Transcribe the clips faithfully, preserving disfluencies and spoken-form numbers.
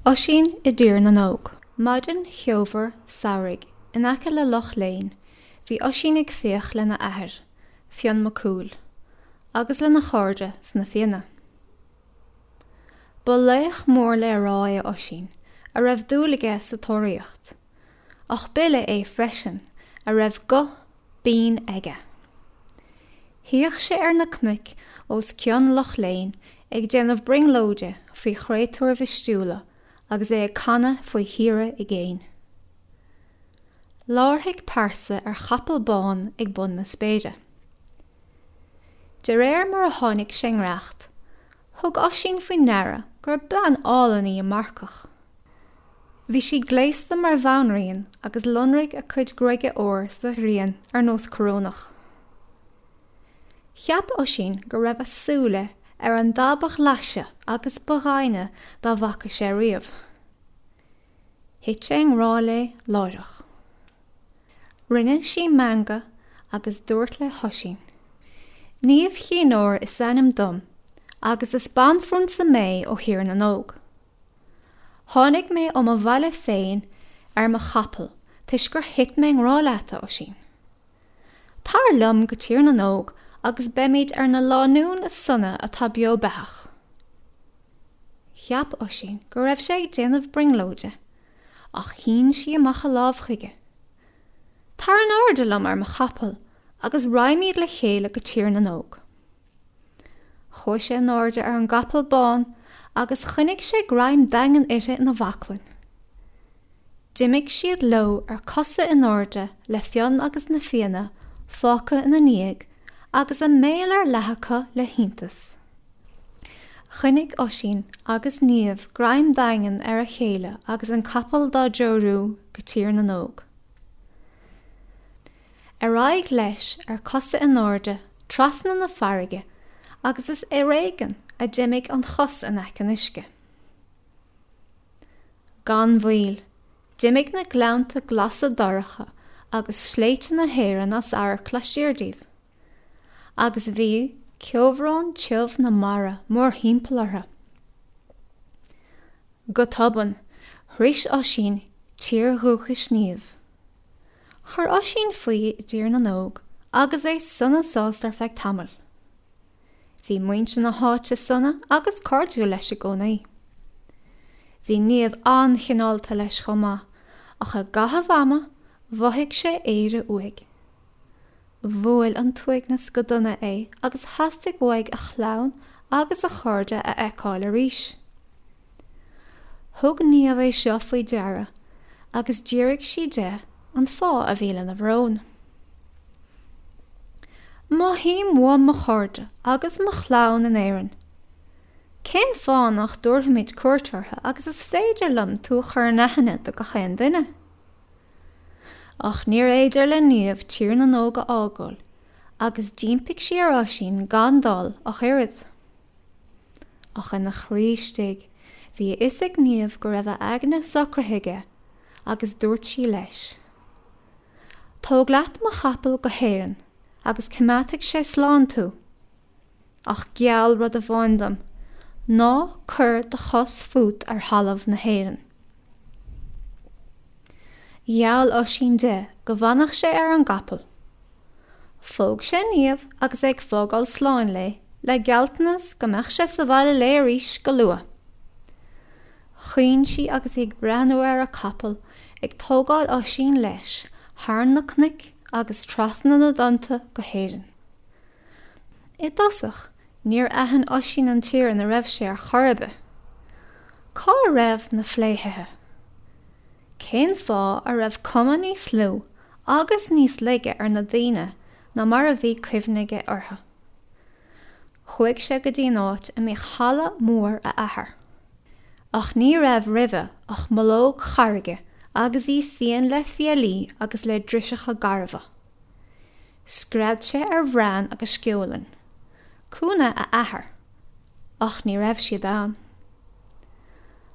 Oisín i dTír na nÓg. Maidin cheomhar samhraidh in aice le Loch Léin, bhí Oisín ag fiach lena athair, Fionn Mac Cumhaill, agus lena chairde sna Fianna. Ba laoch mór le rá é Oisín, a raibh dúil aige sa tóraíocht, ach b'fhile é freisin a raibh guth binn aige. Shuíodh sé ar na cnoic os cionn Loch Léin ag déanamh brionglóide faoi chréatúir mhistiúla agus é ag canadh faoi thíortha i gcéin. Láithrigh pearsa ar chapall bán ag bun na spéire. De réir mar a tháinig sé i ngiorracht, thug Oisín faoi ndeara gur bean álainn í a marcach. Bhí sí gléasta mar bhanríon agus lonraigh a cuid gruaige óir sa ghrian ar nós corónach. Cheap Oisín go raibh a súile ar an dath ba ghlaise agus ba dhoimhne dá bhfaca sé riamh. Thit sé i ngrá léi láithreach. Rinne sí meangadh agus dúirt le hOisín, Niamh Chinn Óir is ainm dom, agus is banphrionsa mé ó Thír na nÓg. Tháinig mé ó mo bhaile féin ar mo chapall toisc gur thit mé i ngrá leat, a Oisín. Tar liom go Tír na nÓg agus beimid ar na lánúin is sona atá beo beathach. Cheap Oisín go raibh sé ag déanamh brionglóide, ach shín sí amach a lámh chuige. Tar in airde liom ar mo chapall agus raghaimid le chéile go Tír na nÓg. Chuaigh sé in airde ar an gcapall bán agus choinnigh sé greim daingean uirthi ina bhaclainn. D'imigh siad leo ar cosa in airde le Fionn agus na Fianna fágtha ina ndiaidh agus a mbéal ar leathadh acu le hiontas. Choinnigh Oisín agus Niamh greim daingean ar a chéile agus an capall dá dtreorú go Tír na nÓg. Ar aghaidh leis ar cosa in airde trasna na farraige agus is ar éigean a d'imigh an chos in aice an uisce. Gan mhoill, d'imigh na gleannta glasa dorcha agus sléibhte na hÉireann as amharc laistiar díobh. Agus bhí ceobhrán tiubh na mara mórthimpeall orthu. Go tobann, shroich Oisín tír dhúchais Niamh. Chuir Oisín faoi i dTír na nÓg agus é sona sásta ar feadh tamaill. Bhí muintir na háite sona agus cairdiúil leis i gcónaí. Bhí Niamh an-chineálta leis chomh maith, ach i gcaitheamh ama mhothaigh sé Éire uaidh. Bhuail an t-uaigneas go dona é agus theastaigh uaidh a chlann agus a chairde a fheiceáil arís. Thug Niamh é seo faoi deara agus d'fhiafraigh sí de an fáth a bhí lena bhrón. Mothaím uaim mo chairde agus mo chlann in Éirinn. Cén fáth nach dtabharfaimid cuairt orthu agus is féidir liom tú a chur in aithne do gach aon duine? Ach níorbh fhéidir le Niamh Tír na nÓg a fhágáil, agus d'impigh sí ar Oisín gan dul ach oiread. Ach ina chroí istigh, bhí a fhios ag Niamh go raibh a aigne socraithe aige, agus dúirt sí leis, Tóg leat mo chapall go hÉirinn agus coimeádfaidh sé slán tú. Ach geall rud amháin dom, ná cuir do chos fút ar thalamh na hÉireann. Gheall Oisín di go bhfanfadh sé ar an gcapall. Phóg sé Niamh agus é ag fágáil sláin léi, le gealltanas go mbeadh sé sa bhaile léi arís go luath. Chaoin sí agus í ag breathnú ar a capall ag tógáil Oisín leis thar na cnoic agus trasna na dtonnta go hÉirinn. I dtosach, níor aithin Oisín an tír ina raibh sé ar chor ar bith. Cá raibh na fléithithe? Cén fáth a raibh cuma níos lú agus níos laige ar na daoine ná mar a bhí cuimhne aige orthu? Chuaigh sé go dtí an áit a mbíodh halla mór a athar. Ach ní raibh roimhe ach mullóg charraige agus í fiain le fiailí agus le driseacha garbha. Scread sé ar Bhran agus Sceolann, cúnna a athar, ach ní raibh siad ann.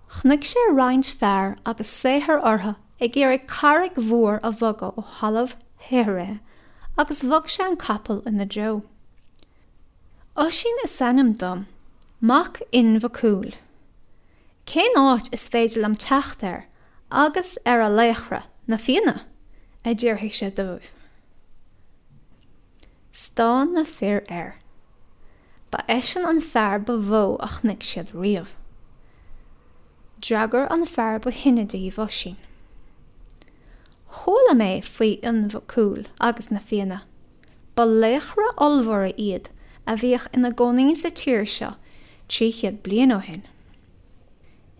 Chonaic sé roinnt fear agus saothar orthu ag iarraidh carraig mhór a bhogadh ó thalamh shaothraithe agus bhog sé an capall ina dtreo. Oisín is ainm dom, mac Fhinn Mhac Cumhaill. Cén áit is féidir liom teacht air agus ar a laochra, na Fianna? a d'fhiafraigh sé dóibh. Stán na fir air. Ba eisean an fear ba mhó a chonaic siad riamh. D'fhreagair an fear ba shine díobh, Oisín. Chuala mé faoi Fhionn Mhac Cumhaill agus na Fianna. Ba laochra ollmhóra iad a bhíodh ina gcónaí sa tír seo trí chéad bliain ó shin.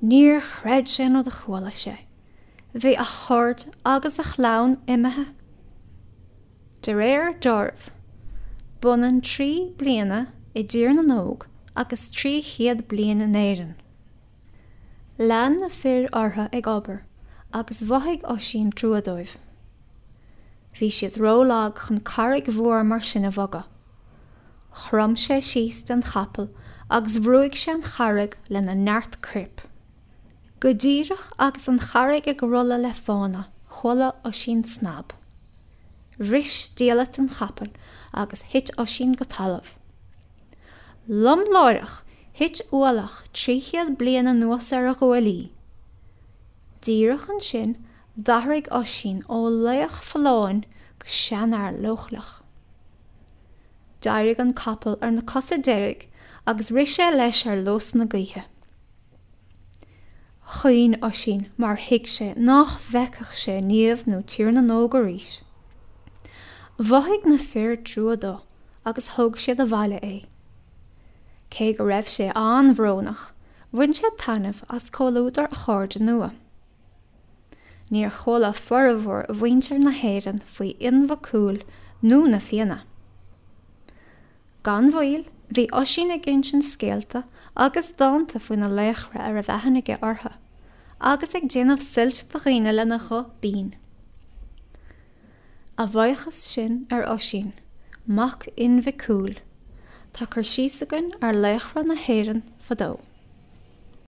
Níor chreid sé an rud a chuala sé. Bhí a chairde agus a chlann imithe. De réir dealraimh, b'ionann trí bliana i dTír na nÓg agus trí chéad bliain in Éirinn. Lean na fir orthu ag obair agus mhothaigh Oisín trua dóibh. Bhí siad rólag chun carraig mhór mar sin a bhogadh. Chrom sé síos den chapall agus bhrúigh sé an charraig lena neart coirp. Go díreach agus an charraig ag rolladh le fána, chuala Oisín snab. Bhris diallait an chapaill agus thit Oisín go talamh. Lom láithreach, thit ualach trí chéad bliain anuas ar a ghuaillí. Díreach ansin, d'athraigh Oisín ó laoch folláin go seanfhear leochaileach. D'éirigh an capall ar na cosa deiridh agus rith sé leis ar luas na gaoithe. Chaoin Oisín mar thuig sé nach bhfeicfeadh sé Niamh nó Tír na nÓg arís. Mhothaigh na fir trua dó agus thóg siad abhaile é. Cé go raibh sé an-bhrónach, bhain sé taitneamh as comhluadar a chairde nua. Níor chuala formhór mhuintir na hÉireann faoi Fhionn Mhac Cumhaill nó na Fianna. Gan mhoill, bhí Oisín ag insint scéalta agus dánta faoi na laochra a raibh aithne aige orthu, agus ag déanamh suilt do dhaoine lena ghuth binn. A bhuíochas sin ar Oisín, mac Fhinn Mhic Cumhaill, tá cur síos againn ar laochra na hÉireann fadó.